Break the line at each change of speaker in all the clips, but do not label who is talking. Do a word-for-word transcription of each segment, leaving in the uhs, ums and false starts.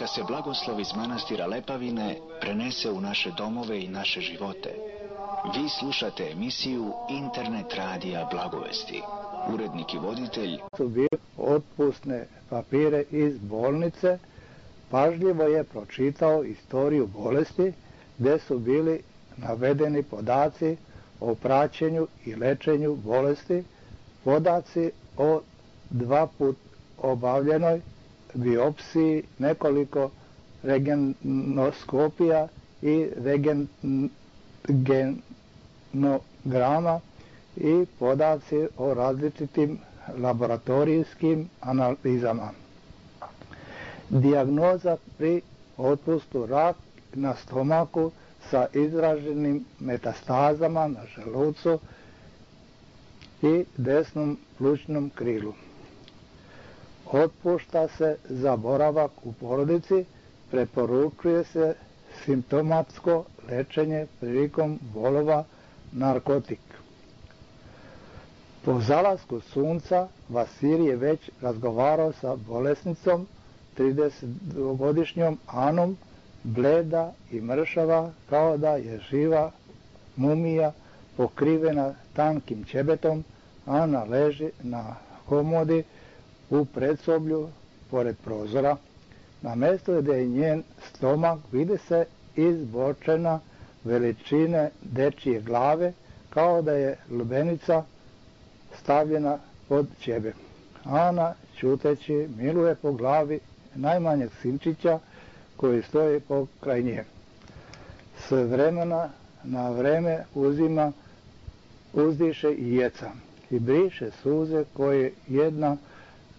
Neka se blagoslov iz manastira Lepavine prenese u naše domove i naše živote. Vi slušate emisiju Internet radija Blagovesti. Urednik i voditelj
su bili otpusne papire iz bolnice. Pažljivo je pročitao istoriju bolesti gdje su bili navedeni podaci o praćenju i lečenju bolesti, podaci o dva put obavljenoj biopsiji, nekoliko regenoskopija i regenograma i podaci o različitim laboratorijskim analizama. Dijagnoza pri otpustu rak na stomaku sa izraženim metastazama na želucu i desnom plućnom krilu. Otpušta se za boravak u porodici, preporučuje se simptomatsko lečenje prilikom bolova narkotik. Po zalasku sunca Vasilij je već razgovarao sa bolesnicom, tridesetgodišnjom Anom, bleda i mršava kao da je živa mumija pokrivena tankim ćebetom. Ana leži na komodi u predsoblju pored prozora. Na mjestu gdje je njen stomak vidi se izbočena veličine dečije glave kao da je lubenica stavljena pod ćebe. Ana ćuteći miluje po glavi najmanjeg sinčića koji stoji pokraj nje. S vremena na vreme uzima, uzdiše i jeca i briše suze koje jedna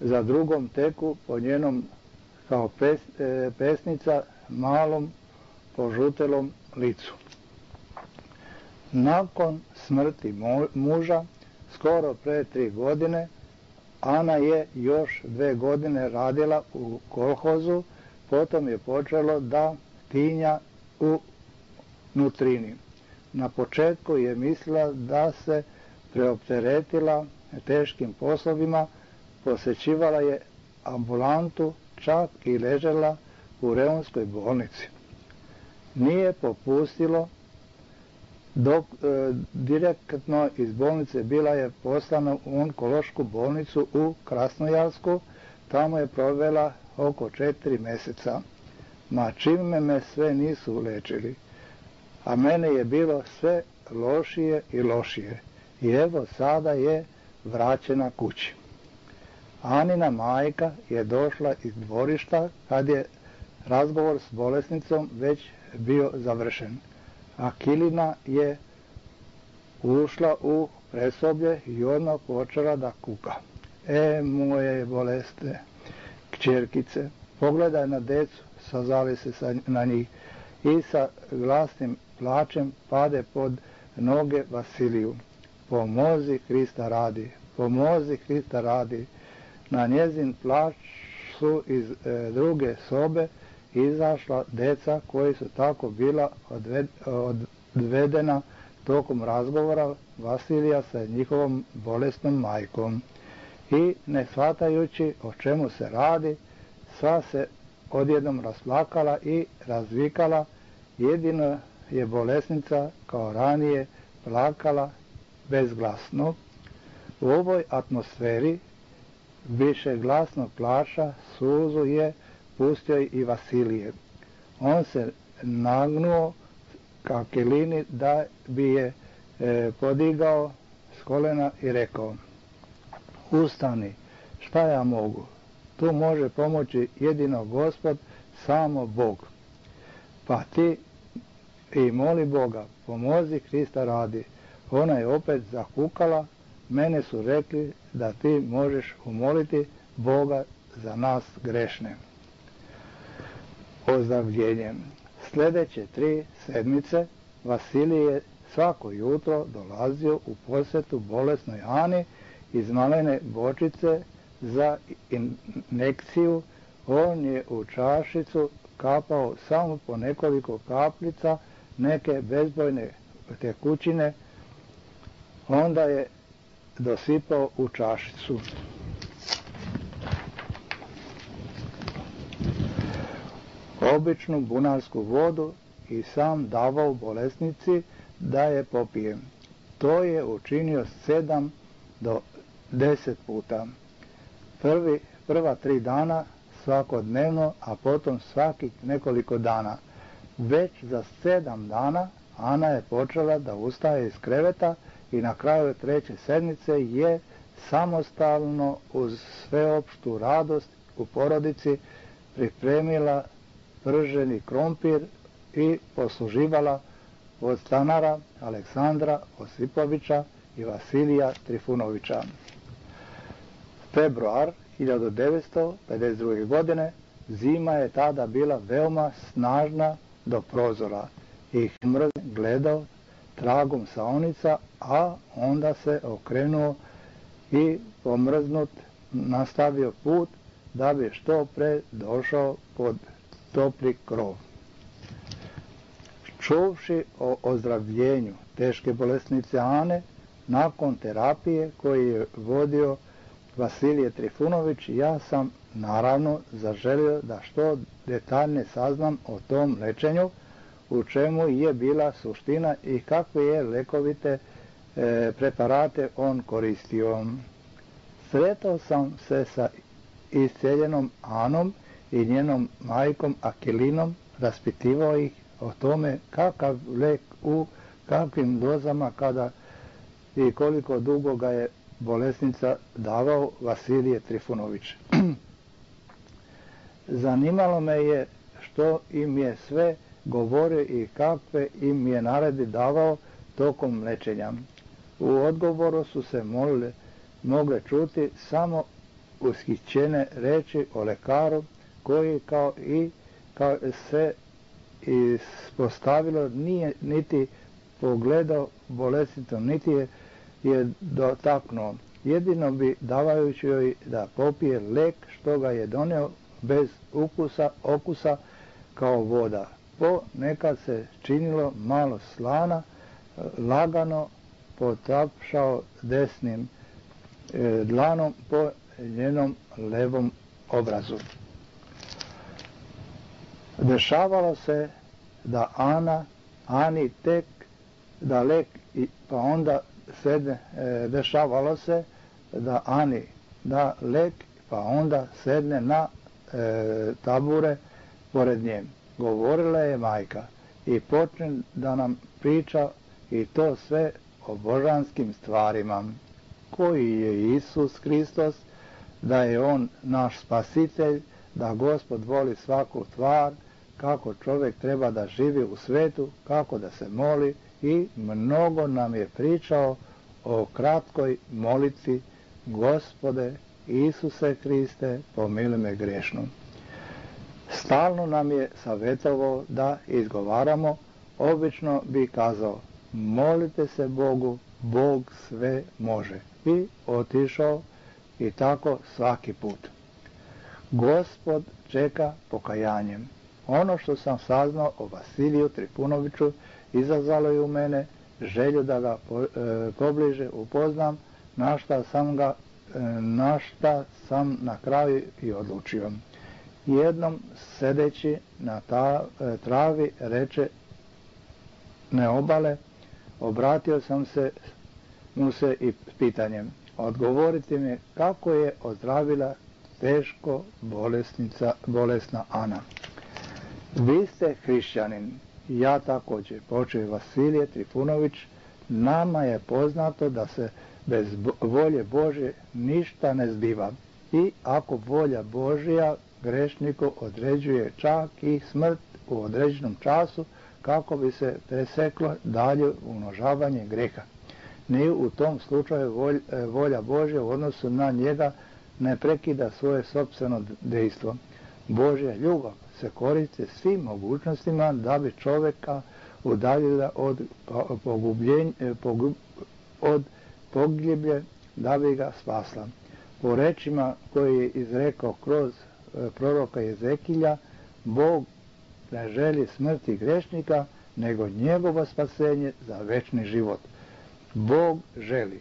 za drugom teku po njenom kao pes, e, pesnica malom požutelom licu. Nakon smrti muža, skoro pre tri godine, Ana je još dve godine radila u kolhozu, potom je počelo da tinja u nutrini. Na početku je mislila da se preopteretila teškim poslovima, posećivala je ambulantu, čak i ležela u reonskoj bolnici. Nije popustilo dok e, direktno iz bolnice bila je poslana u onkološku bolnicu u Krasnojarsku. Tamo je provela oko četiri mjeseca. Ma čime me sve nisu lečili, a mene je bilo sve lošije i lošije. I evo sada je vraćena kući. Anina majka je došla iz dvorišta kad je razgovor s bolesnicom već bio završen. Akilina je ušla u presoblje i odmah počela da kuka. E, moje bolesne kćerkice, pogledaj na decu, sazali se sa, na njih i sa glasnim plačem pade pod noge Vasiliju. Pomozi Krista radi, pomozi Krista radi. Na njezin plač su iz e, druge sobe izašla deca koji su tako bila odved, odvedena tokom razgovora Vasilija sa njihovom bolesnom majkom. I ne shvatajući o čemu se radi, sva se odjednom rasplakala i razvikala. Jedino je bolesnica kao ranije plakala bezglasno. U ovoj atmosferi više glasnog plača suzu je pustio i Vasilije. On se nagnuo ka Akilini da bi je e, podigao s kolena i rekao: ustani, šta ja mogu? Tu može pomoći jedino Gospod, samo Bog. Pa ti i moli Boga, pomozi Krista radi. Ona je opet zakukala. Mene su rekli da ti možeš umoliti Boga za nas grešne. Ozdravljenjem. Sljedeće tri sedmice Vasilij je svako jutro dolazio u posjetu bolesnoj Ani iz malene bočice za injekciju. On je u čašicu kapao samo po nekoliko kapljica neke bezbojne tekućine, onda je dosipao u čašicu. običnu bunarsku vodu i sam davao bolesnici da je popije. To je učinio sedam do deset puta. Prvi, prva tri dana svakodnevno, a potom svakih nekoliko dana. Već za sedam dana Ana je počela da ustaje iz kreveta i na kraju treće sedmice je samostalno uz sveopštu radost u porodici pripremila prženi krompir i posluživala od stanara Aleksandra Osipovića i Vasilija Trifunovića. Februar hiljadu devetsto pedeset druge. godine, zima je tada bila veoma snažna do prozora i mraz gledao tragom saonica, a onda se okrenuo i pomrznut nastavio put da bi što pre došao pod topli krov. Čuvši o ozdravljenju teške bolesnice Ane, nakon terapije koju je vodio Vasilije Trifunović, ja sam naravno zaželio da što detaljnije saznam o tom lečenju, u čemu je bila suština i kakve je lekovite e, preparate on koristio. Sretao sam se sa isceljenom Anom i njenom majkom Akilinom, raspitivao ih o tome kakav lek u kakvim dozama kada i koliko dugo ga je bolesnica davao Vasilije Trifunović. Zanimalo me je što im je sve govorio i kakve im je naredi davao tokom lečenja. U odgovoru su se molile, mogle čuti samo ushićene reči o lekaru koji kao i kao se ispostavilo nije niti pogledao bolesnicu, niti je, je dotaknuo. Jedino bi davajući joj da popije lek što ga je donio bez ukusa, okusa kao voda. Po nekad se činilo malo slana, lagano potapšao desnim e, dlanom po njenom levom obrazu. Dešavalo se da Ana, Ani tek da lek, pa onda sedne, e, dešavalo se da Ani da lek, pa onda sedne na e, tabure pored nje. Govorila je majka i počne da nam priča i to sve o božanskim stvarima. Koji je Isus Hristos, da je On naš spasitelj, da Gospod voli svaku tvar, kako čovjek treba da živi u svetu, kako da se moli i mnogo nam je pričao o kratkoj molitvi: Gospode Isuse Hriste, pomiluj me grešnu. Stalno nam je savjetovao da izgovaramo, obično bi kazao: molite se Bogu, Bog sve može. I otišao i tako svaki put. Gospod čeka pokajanjem. Ono što sam saznao o Vasiliju Trifunoviću izazvalo je u mene želju da ga po, e, pobliže upoznam, na šta sam ga, e, na šta sam na kraju i odlučio. Jednom sedeći na ta, e, travi reče Neobale, obratio sam se mu se i pitanjem: odgovorite mi kako je ozdravila teško bolesnica, bolesna Ana. Vi ste hrišćanin, ja također, počeo Vasilije Trifunović. Nama je poznato da se bez volje Božje ništa ne zbiva i ako volja Božja grešniku određuje čak i smrt u određenom času kako bi se preseklo dalje umnožavanje greha. Ni u tom slučaju volj, volja Božja u odnosu na njega ne prekida svoje sopstveno dejstvo. Božja ljubav se koristi svim mogućnostima da bi čovjeka udaljila od pogubljenja, pogub, od pogiblje, da bi ga spasla. Po rečima koje je izrekao kroz proroka Jezekilja, Bog ne želi smrti grešnika, nego njegovo spasenje za večni život. Bog želi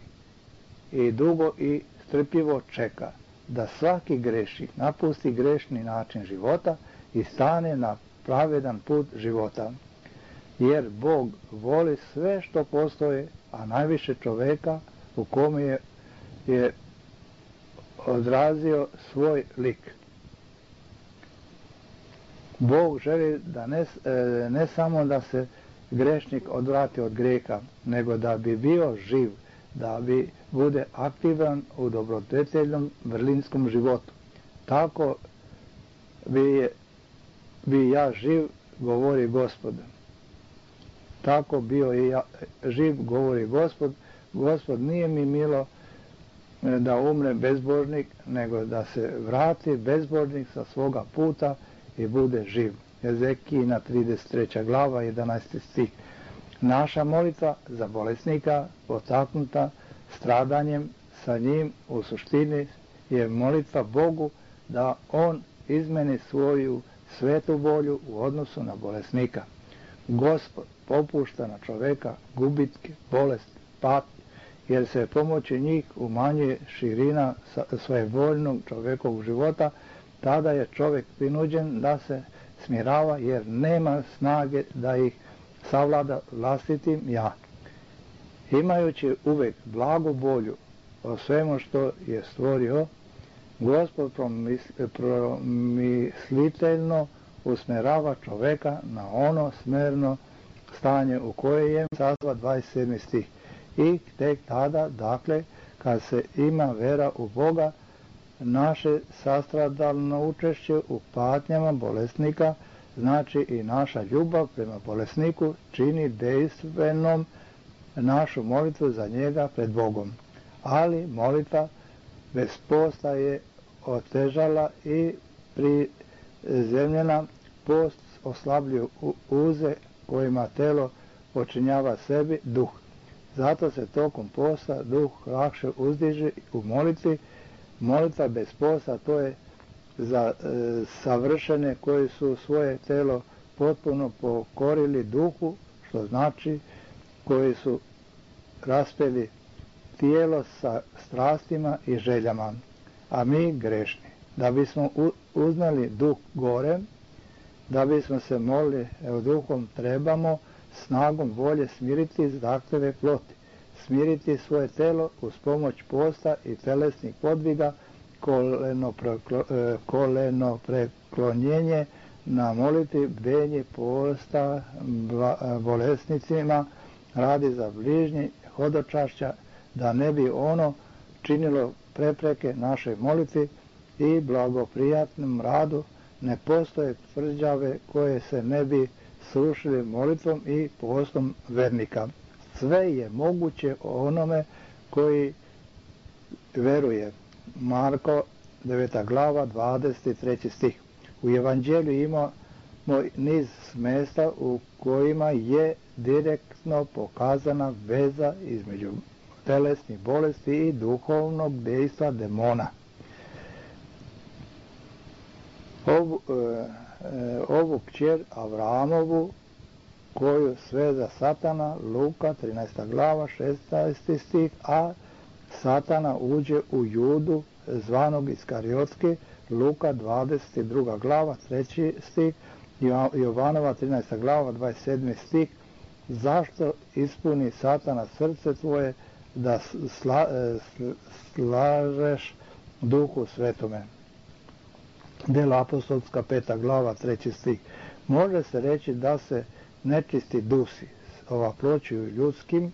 i dugo i strpljivo čeka da svaki grešnik napusti grešni način života i stane na pravedan put života. Jer Bog voli sve što postoje, a najviše čoveka u kome je, je odrazio svoj lik. Bog želi da ne, ne samo da se grešnik odvrati od grijeha, nego da bi bio živ, da bi bude aktivan u dobrodeteljnom vrlinskom životu. Tako bi, bi ja živ, govori Gospod. Tako bio i ja živ, govori Gospod. Gospod nije mi milo da umre bezbožnik, nego da se vrati bezbožnik sa svoga puta i bude živ. Ezekijina trideset treća glava, jedanaesti stih. Naša molitva za bolesnika, potaknuta stradanjem sa njim, u suštini je molitva Bogu da on izmeni svoju svetu volju u odnosu na bolesnika. Gospod popušta na čoveka gubitke, bolesti, patnje, jer se pomoći njih umanjuje širina svojevoljnog čovekovog života. Tada je čovjek prinuđen da se smirava, jer nema snage da ih savlada vlastitim ja. Imajući uvek blagu volju o svemu što je stvorio, Gospod promisliteljno usmerava čoveka na ono smerno stanje u koje je sazva dvadeset sedmi stih. I tek tada, dakle, kad se ima vera u Boga, naše sastradalno učešće u patnjama bolesnika, znači i naša ljubav prema bolesniku, čini dejstvenom našu molitvu za njega pred Bogom. Ali molitva bez posta je otežala i prizemljena. Post oslabljuju uze kojima telo počinjava sebi duh. Zato se tokom posta duh lakše uzdiže u molitvi. Molitva bez posta, to je za e, savršene koji su svoje telo potpuno pokorili duhu, što znači koji su raspeli tijelo sa strastima i željama, a mi grešni. Da bismo uznali duh gore, da bismo se molili evo, duhom, trebamo snagom volje smiriti zahtjeve ploti, smiriti svoje telo uz pomoć posta i telesnih podviga, koleno, preklo, koleno preklonjenje na molitvi, bdenje posta bolesnicima, radi za bližnji, hodočašća, da ne bi ono činilo prepreke našoj molitvi i blagoprijatnom radu. Ne postoje tvrđave koje se ne bi srušili molitvom i postom vernika. Sve je moguće onome koji veruje. Marko deveta glava, dvadeset treći stih. U evanđelju imamo niz mjesta u kojima je direktno pokazana veza između telesnih bolesti i duhovnog dejstva demona. Ovu, e, ovu kćer Avramovu, koju sveza Satana, Luka trinaesta glava, šesnaesti stih, a Satana uđe u Judu zvanog Iskariotski, Luka dvadeset druga glava, treći stih, Jovanova trinaesta glava, dvadeset sedmi stih. Zašto ispuni Satana srce tvoje da sla, slažeš Duhu Svetome? Delo apostolska peta glava, treći stih. Može se reći da se nečisti dusi ovaploćuju ljudskim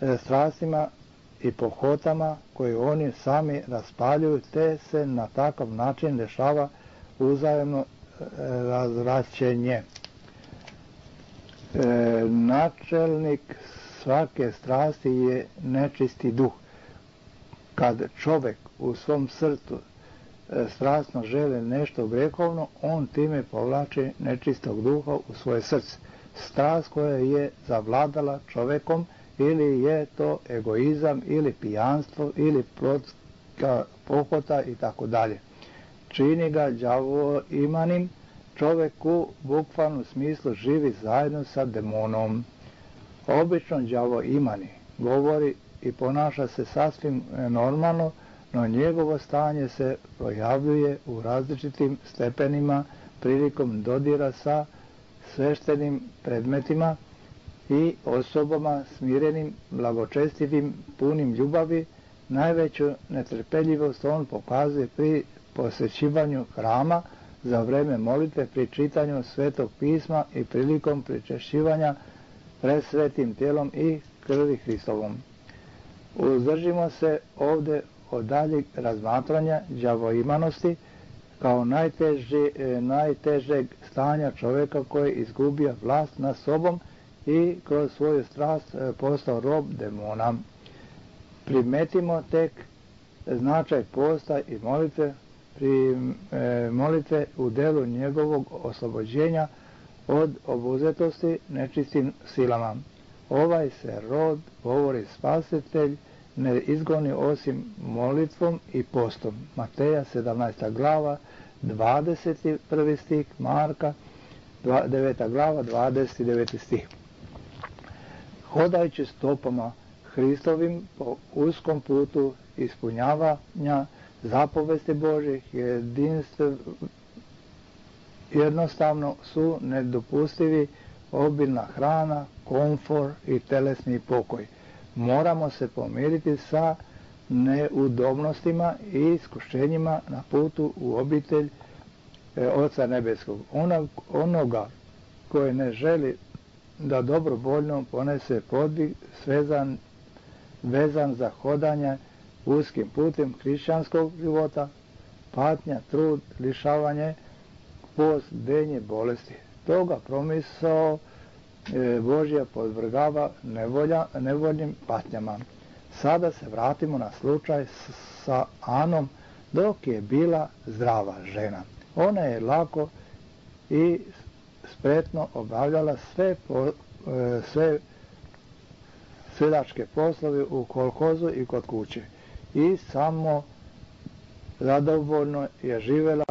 e, strastima i pohotama koje oni sami raspaljuju, te se na takav način dešava uzajemno e, razvraćenje. E, načelnik svake strasti je nečisti duh. Kad čovjek u svom srcu e, strasno želi nešto grehovno, on time povlači nečistog duha u svoje srce. Strast koja je zavladala čovjekom, ili je to egoizam, ili pijanstvo, ili plotska pohota i tako dalje. Čini ga đavo imanim, čovjek u bukvalnom smislu živi zajedno sa demonom. Obično đavo imani govori i ponaša se sasvim normalno, no njegovo stanje se projavljuje u različitim stepenima prilikom dodira sa sveštenim predmetima i osobama smirenim, blagočestivim, punim ljubavi. Najveću netrpeljivost on pokazuje pri posjećivanju hrama, za vreme molitve, pri čitanju Svetog pisma i prilikom pričešćivanja pred svetim tijelom i krvi Hristovom. Uzdržimo se ovdje od daljeg razmatranja đavoimanosti kao najteži, najtežeg stanja čovjeka koji je izgubio vlast nad sobom i kroz svoju strast postao rob demona. Primetimo tek značaj posta i molitve, pri e, molitve u delu njegovog oslobođenja od obuzetosti nečistim silama. Ovaj se rod, govori Spasitelj, ne izgoni osim molitvom i postom. Mateja sedamnaesta glava, dvadeset prvi stih, Marka deveta glava, dvadeset deveti stih. Hodajući stopama Hristovim po uskom putu ispunjavanja zapovesti Božih, jedinstv, jednostavno su nedopustivi obilna hrana, komfor i telesni pokoj. Moramo se pomiriti sa neudobnostima i iskušenjima na putu u obitelj e, Oca Nebeskog. Onog, onoga koji ne želi da dobrovoljno ponese podvig svezan, vezan za hodanje uskim putem hrišćanskog života, patnja, trud, lišavanje, post, denje, bolesti. Toga promisao e, Božja podvrgava nevolja, nevoljnim patnjama. Sada se vratimo na slučaj sa Anom dok je bila zdrava žena. Ona je lako i spretno obavljala sve, po, e, sve sedačke poslove u kolhozu i kod kuće i samo zadovoljno je živjela,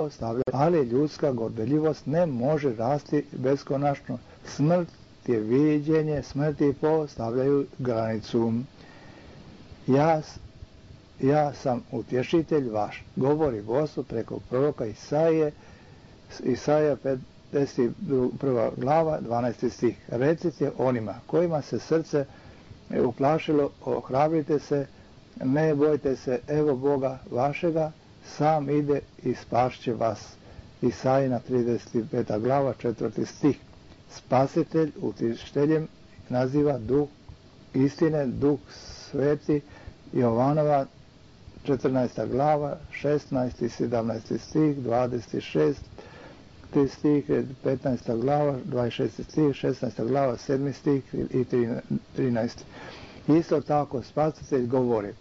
ali ljudska gordeljivost ne može rasti beskonačno. Smrt je viđenje, smrt i postavljaju granicu. Ja, ja sam utješitelj vaš, govori Gospod preko proroka Isaije, Isaija pedeset prva glava, dvanaesti stih. Recite onima kojima se srce uplašilo, ohrabrite se, ne bojte se, evo Boga vašega, sam ide i spašće vas. Isajina trideset peta glava, četvrti stih. Spasitelj utišteljem naziva duh istine, duh sveti, Jovanova četrnaesta glava, šesnaesti i sedamnaesti stih, dvadeset šesti stih, petnaesta glava, dvadeset šesti stih, šesnaesta glava, sedmi stih i trinaesti. Isto tako Spasitelj govori,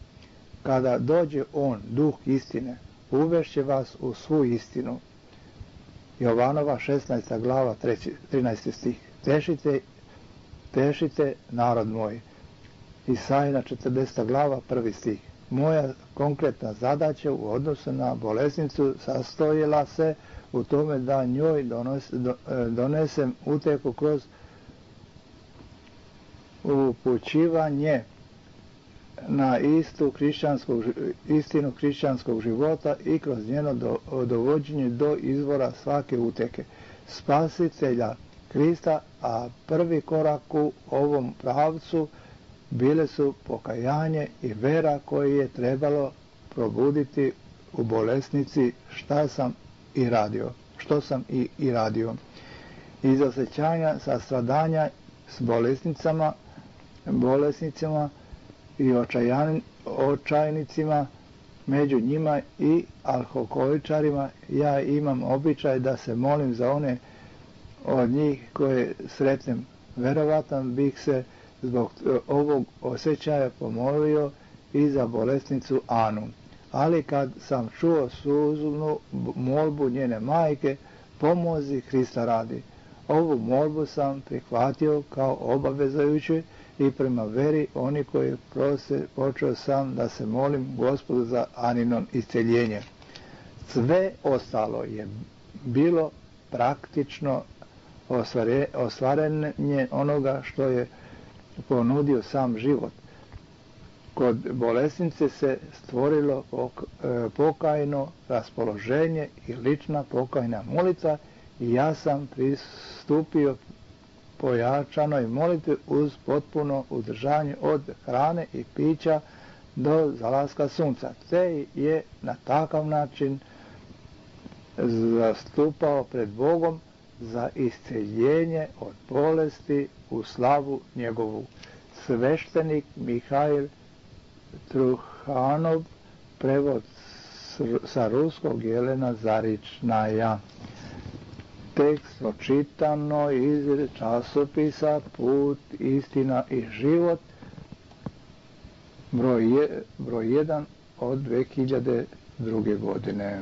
kada dođe on, duh istine, uvešće vas u svu istinu. Jovanova šesnaesta glava, trinaesti stih. Tešite, tešite narod moj. Isajina četrdeseta glava, prvi stih. Moja konkretna zadaća u odnosu na bolesnicu sastojila se u tome da njoj donos, do, donesem uteku kroz upućivanje na istu hrišćanskog, istinu hrišćanskog života i kroz njeno do, dovođenje do izvora svake uteke. Spasitelja Krista, a prvi korak u ovom pravcu bile su pokajanje i vera koje je trebalo probuditi u bolesnici šta sam i radio, što sam i, i radio. Iz osjećanja sastradanja s bolesnicama, bolesnicima i očajan, očajnicima, među njima i alkoholičarima, ja imam običaj da se molim za one od njih koje sretnem. Verovatno bih se zbog ovog osjećaja pomolio i za bolesnicu Anu. Ali kad sam čuo suznu molbu njene majke, pomozi Hrista radi. Ovu molbu sam prihvatio kao obavezajući i prema veri oni koji prose počeo sam da se molim Gospodu za Anino isceljenje. Sve ostalo je bilo praktično ostvarenje onoga što je ponudio sam život. Kod bolesnice se stvorilo pokajno raspoloženje i lična pokajna molitva i ja sam pristupio pojačanoj molitvi uz potpuno uzdržanje od hrane i pića do zalaska sunca, te je na takav način zastupao pred Bogom za isceljenje od bolesti u slavu njegovu. Sveštenik Mihail Truhanov, prevod sa ruskog Jelena Zaričnaja. Tekst očitano iz časopisa Put, istina i život, broj, je, broj jedan od dve hiljade druge godine.